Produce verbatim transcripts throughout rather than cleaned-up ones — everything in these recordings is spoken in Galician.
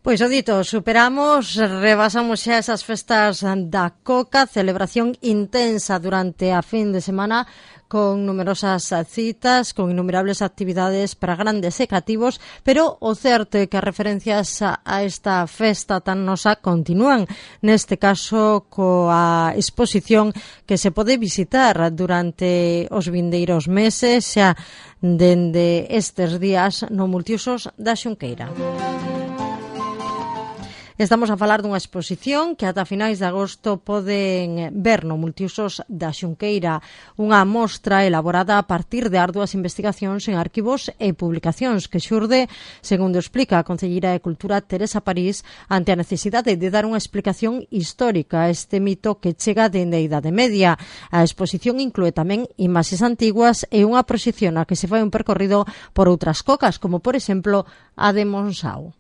Pois o dito, superamos, rebasamos xa esas festas da Coca, celebración intensa durante a fin de semana con numerosas citas, con innumerables actividades para grandes e cativos, pero o certo é que as referencias a, a esta festa tan nosa continúan, neste caso coa exposición que se pode visitar durante os vindeiros meses, xa dende estes días no Multiusos da Xunqueira. Estamos a falar dunha exposición que ata finais de agosto poden ver no Multiusos da Xunqueira, unha mostra elaborada a partir de arduas investigacións en arquivos e publicacións que xurde, segundo explica a Concelleira de Cultura Teresa París, ante a necesidade de dar unha explicación histórica a este mito que chega dende a Idade Media. A exposición inclúe tamén imaxes antiguas e unha proxección a que se fai un percorrido por outras cocas, como por exemplo a de Monsao.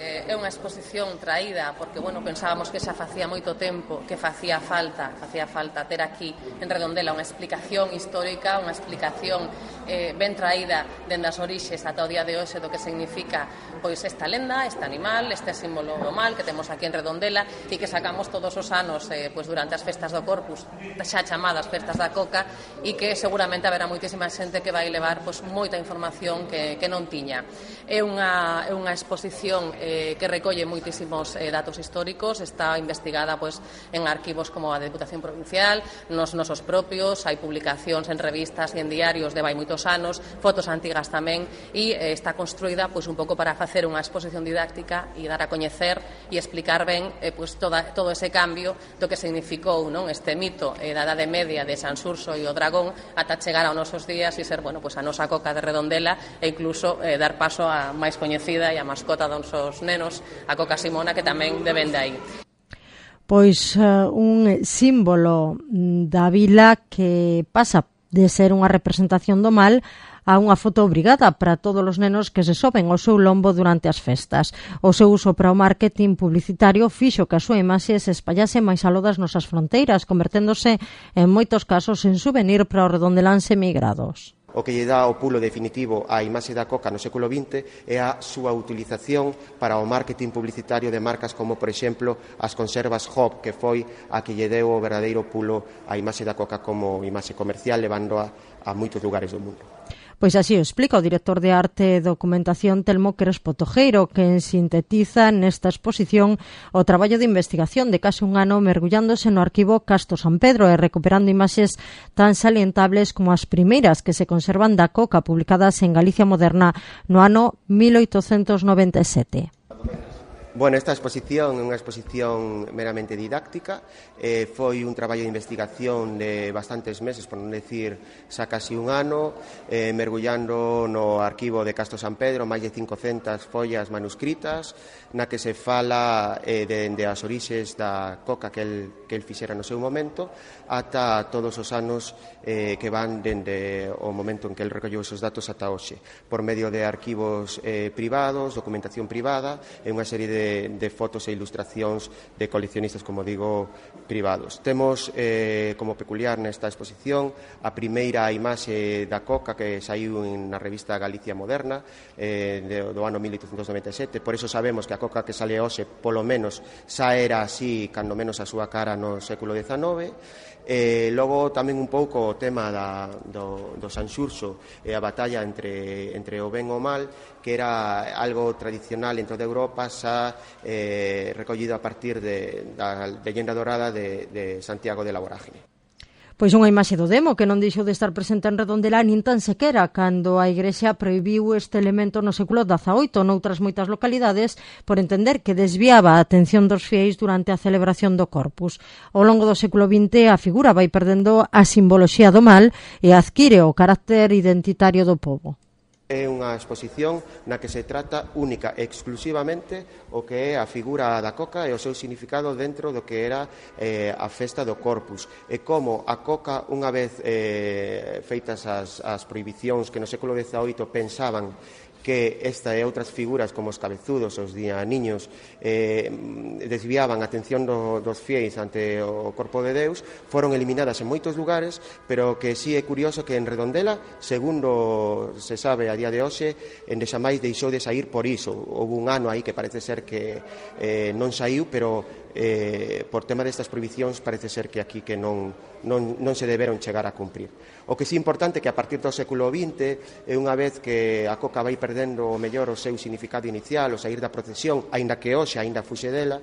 É unha exposición traída porque, bueno, pensábamos que xa facía moito tempo que facía falta, facía falta ter aquí en Redondela unha explicación histórica, unha explicación eh, ben traída dende as orixes ata o día de hoxe do que significa pois esta lenda, este animal, este símbolo do mal que temos aquí en Redondela e que sacamos todos os anos eh, pois durante as festas do Corpus, xa chamadas festas da Coca, e que seguramente haberá moitísima xente que vai levar pois moita información que, que non tiña. É unha, é unha exposición eh, que recolle moitísimos eh, datos históricos, está investigada pois, en arquivos como a Deputación Provincial, nos nosos propios, hai publicacións en revistas e en diarios de vai moitos anos, fotos antigas tamén, e eh, está construída pois, un pouco para facer unha exposición didáctica e dar a coñecer e explicar ben eh, pois, toda, todo ese cambio do que significou non este mito eh, da Idade Media de Sanxurxo e o dragón ata chegar aos nosos días e ser bueno, pois, a nosa Coca de Redondela e incluso eh, dar paso a máis coñecida e a mascota dos nosos nenos, a Coca Simona, que tamén deben de aí. Pois uh, un símbolo da vila que pasa de ser unha representación do mal a unha foto obrigada para todos os nenos que se soben ao seu lombo durante as festas. O seu uso para o marketing publicitario fixo que a súa imaxe se espallase máis aló das nosas fronteiras, converténdose en moitos casos en souvenir para os redondeláns emigrados. O que lle dá o pulo definitivo á imaxe da Coca no século vinte é a súa utilización para o marketing publicitario de marcas como, por exemplo, as conservas Hop, que foi a que lle deu o verdadeiro pulo á imaxe da Coca como imaxe comercial, levándoa a moitos lugares do mundo. Pois así o explica o director de Arte e Documentación Telmo Crespo Tojeiro, que sintetiza nesta exposición o traballo de investigación de case un ano mergullándose no arquivo Casto San Pedro e recuperando imaxes tan salientables como as primeiras que se conservan da Coca publicadas en Galicia Moderna no ano mil oitocentos noventa e sete. Bueno, esta exposición é unha exposición meramente didáctica, eh, foi un traballo de investigación de bastantes meses, por non decir xa casi un ano, eh, mergullando no arquivo de Casto San Pedro, máis de cincocentas follas manuscritas, na que se fala eh, dende as orixes da Coca que el, que el fixera no seu momento, ata todos os anos eh, que van dende o momento en que el recolleu esos datos ata hoxe, por medio de arquivos eh, privados, documentación privada e unha serie de De, de fotos e ilustracións de coleccionistas, como digo, privados. Temos eh, como peculiar nesta exposición a primeira imaxe da Coca que saiu na revista Galicia Moderna eh, de, do ano mil oitocentos noventa e sete, por eso sabemos que a Coca que sale hoxe polo menos xa era así, cando menos a súa cara no século dezenove. E logo tamén un pouco o tema da, do, do Sanxurxo e a batalla entre, entre o ben e o mal, que era algo tradicional dentro de Europa, xa eh, recollido a partir de, da leyenda dorada de, de Santiago de la Vorágine. Pois unha imaxe do demo que non deixou de estar presente en Redondela nin tan sequera cando a Igrexa prohibiu este elemento no século dezaoito noutras moitas localidades por entender que desviaba a atención dos fieis durante a celebración do Corpus. Ao longo do século vinte a figura vai perdendo a simboloxía do mal e adquire o carácter identitario do pobo. É unha exposición na que se trata única e exclusivamente o que é a figura da Coca e o seu significado dentro do que era eh, a festa do Corpus e como a Coca, unha vez eh, feitas as, as prohibicións que no século dezaoito pensaban que esta e outras figuras como os cabezudos, os dianiños, eh, desviaban a atención do, dos fiéis ante o corpo de Deus, foron eliminadas en moitos lugares, pero que sí é curioso que en Redondela, segundo se sabe a día de hoxe, endexamais deixou de sair por iso. Houve un ano aí que parece ser que eh, non saiu, pero eh, por tema destas prohibicións parece ser que aquí que non, non, non se deberon chegar a cumprir. O que sí é importante que a partir do século vinte, é unha vez que a coca vai perdendo o mellor o seu significado inicial, o sair da procesión, aínda que hoxe aínda fuxe dela,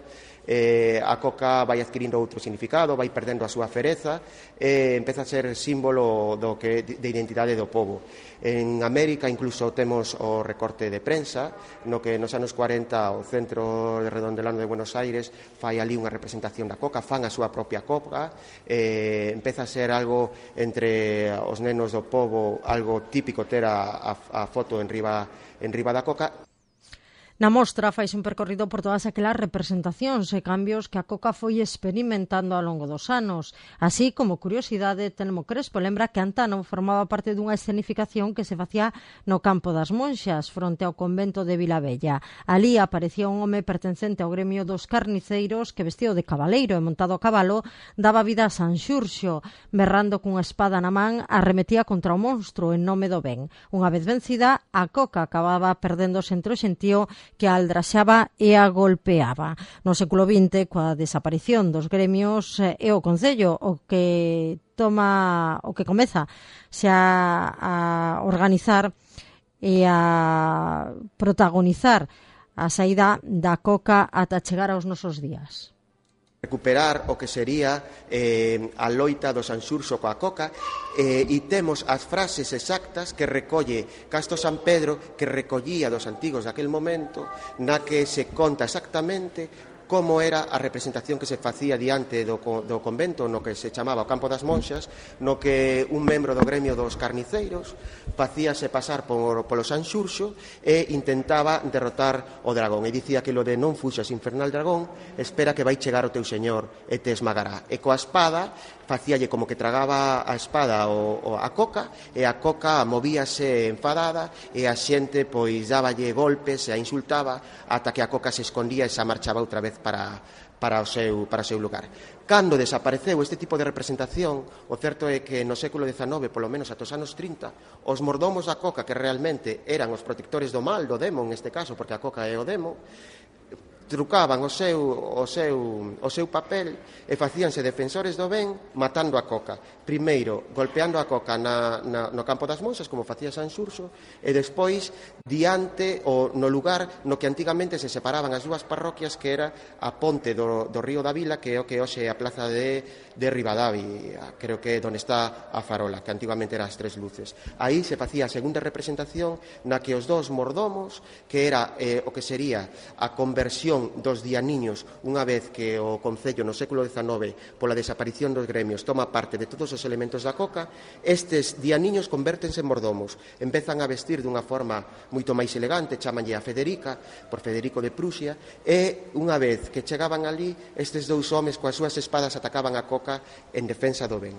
eh, a coca vai adquirindo outro significado, vai perdendo a súa fereza e empeza a ser símbolo do que, de identidade do povo. En América incluso temos o recorte de prensa, no que nos anos cuarenta o Centro de Redondelano de Buenos Aires fai ali unha representación da coca, fan a súa propia coca, eh, empeza a ser algo entre os nenos do povo, algo típico ter a, a, a foto en riba, en riba da coca. Na mostra faise un percorrido por todas aquelas representacións e cambios que a coca foi experimentando ao longo dos anos. Así, como curiosidade, Telmo Crespo lembra que Antano formaba parte dunha escenificación que se facía no Campo das Monxas, fronte ao convento de Vilabella. Alí aparecía un home pertencente ao gremio dos carniceiros que, vestido de cabaleiro e montado a cabalo, daba vida a San Xurxo, berrando cunha espada na man, arremetía contra o monstro en nome do ben. Unha vez vencida, a coca acababa perdéndose entre o xentío que a aldraxaba e a golpeaba. No século vinte, coa desaparición dos gremios, é o Concello o que toma, o que comeza xa a organizar e a protagonizar a saída da coca ata chegar aos nosos días. Recuperar o que sería eh, a loita do San Xurxo coa coca eh, e temos as frases exactas que recolle Casto San Pedro, que recollía dos antigos daquel momento, na que se conta exactamente como era a representación que se facía diante do, do convento no que se chamaba o Campo das Monxas, no que un membro do gremio dos carniceiros facíase pasar por, polo San Xurxo e intentaba derrotar o dragón. E dicía que lo de non fuxas infernal dragón, espera que vai chegar o teu señor e te esmagará. E coa espada facíalle como que tragaba a espada o, o a coca, e a coca movíase enfadada e a xente pois dáballe golpes e a insultaba ata que a coca se escondía e se marchaba outra vez para, para, o seu, para o seu lugar. Cando desapareceu este tipo de representación, o certo é que no século dezanove, polo menos ata os anos trinta, os mordomos da coca, que realmente eran os protectores do mal, do demo neste caso, porque a coca é o demo, trucaban o seu, o seu, o seu papel e facíanse defensores do ben matando a coca. Primeiro, golpeando a coca na, na, no Campo das Monxas, como facía San Xurxo, e despois diante ou no lugar no que antigamente se separaban as dúas parroquias, que era a ponte do, do río da Vila, que é o que hoxe é a plaza de, de Rivadavia, creo que é onde está a farola, que antigamente era as Tres Luces. Aí se facía a segunda representación na que os dous mordomos, que era eh, o que sería a conversión dos dianiños, unha vez que o Concello no século dezanove, pola desaparición dos gremios, toma parte de todos os elementos da coca, estes dianiños convértense en mordomos, empezan a vestir dunha forma moito máis elegante, chamanlle a Federica, por Federico de Prusia, e unha vez que chegaban ali, estes dous homes coas súas espadas atacaban a coca en defensa do ben.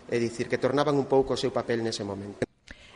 É dicir, que tornaban un pouco o seu papel nese momento.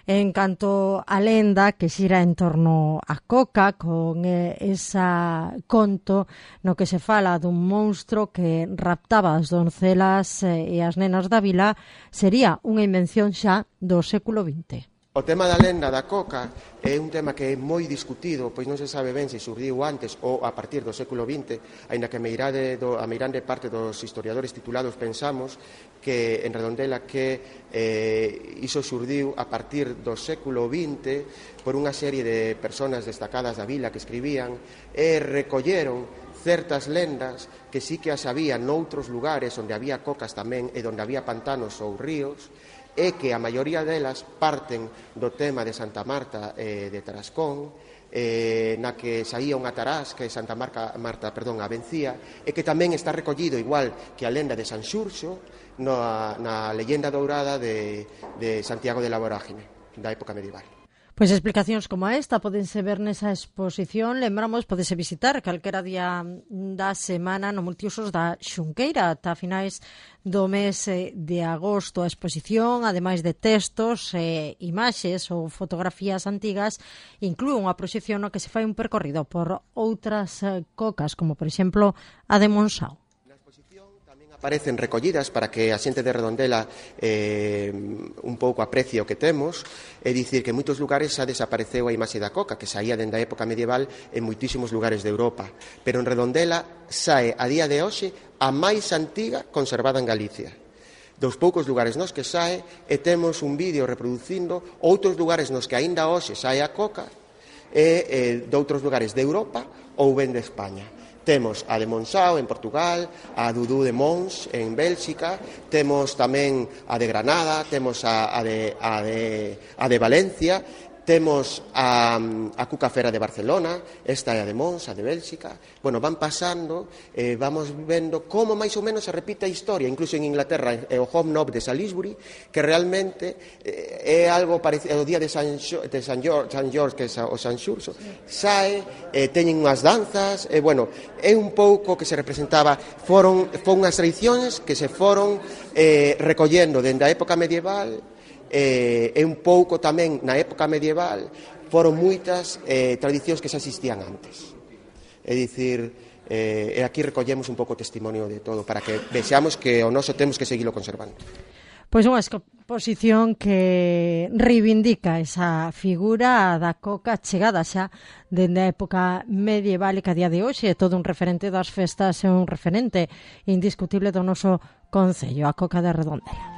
En canto a lenda que xira en torno a coca, con eh, esa conto no que se fala dun monstro que raptaba as doncelas eh, e as nenas da vila, sería unha invención xa do século vinte. O tema da lenda da coca é un tema que é moi discutido, pois non se sabe ben se surdiu antes ou a partir do século vinte, aínda que a meirande, do, a meirande parte dos historiadores titulados pensamos que en Redondela que eh, iso surdiu a partir do século vinte por unha serie de persoas destacadas da vila que escribían e recolleron certas lendas que sí que as había noutros lugares onde había cocas tamén e onde había pantanos ou ríos, e que a maioría delas parten do tema de Santa Marta eh, de Tarascón, eh, na que saía unha tarás que Santa Marta, Marta perdón, a vencía, e que tamén está recollido igual que a lenda de San Xurxo na, na leyenda dourada de, de Santiago de la Vorágine, da época medieval. Pois explicacións como esta podense ver nesa exposición. Lembramos, podese visitar calquera día da semana no Multiusos da Xunqueira ata finais do mes de agosto. A exposición, ademais de textos, eh, imaxes ou fotografías antigas, inclúe unha proxección no que se fai un percorrido por outras eh, cocas, como por exemplo a de Monsao. Aparecen recollidas para que a xente de Redondela eh, un pouco aprecie o que temos, é dicir que en moitos lugares xa desapareceu a imaxe da coca, que saía dende a época medieval en moitísimos lugares de Europa, pero en Redondela sae a día de hoxe a máis antiga conservada en Galicia. Dos poucos lugares nos que sae, e temos un vídeo reproducindo outros lugares nos que aínda hoxe sae a coca, e eh, de outros lugares de Europa ou ben de España. Temos a de Monsao en Portugal, a Dudú de Mons en Bélxica, temos tamén a de Granada, temos a, a, de, a, de, a de Valencia, temos a, a Cuca Fera de Barcelona, esta é a de Mons, a de Bélxica. Bueno, van pasando, eh, vamos vendo como máis ou menos se repite a historia, incluso en Inglaterra, é o Home Knob de Salisbury, que realmente eh, é algo parecido, o día de San, de San George, San George, que é o San Xurxo, sae, eh, teñen unhas danzas, e eh, bueno, é un pouco que se representaba, foron, foron unhas tradicións que se foron eh, recollendo dende a época medieval, e eh, un pouco tamén na época medieval foron moitas eh, tradicións que xa existían antes. É dicir, eh, e aquí recollemos un pouco o testimonio de todo para que vexamos que o noso temos que seguilo conservando. Pois unha exposición que reivindica esa figura da coca chegada xa dende a época medieval e que a día de hoxe é todo un referente das festas e un referente indiscutible do noso concello, a coca de Redondela.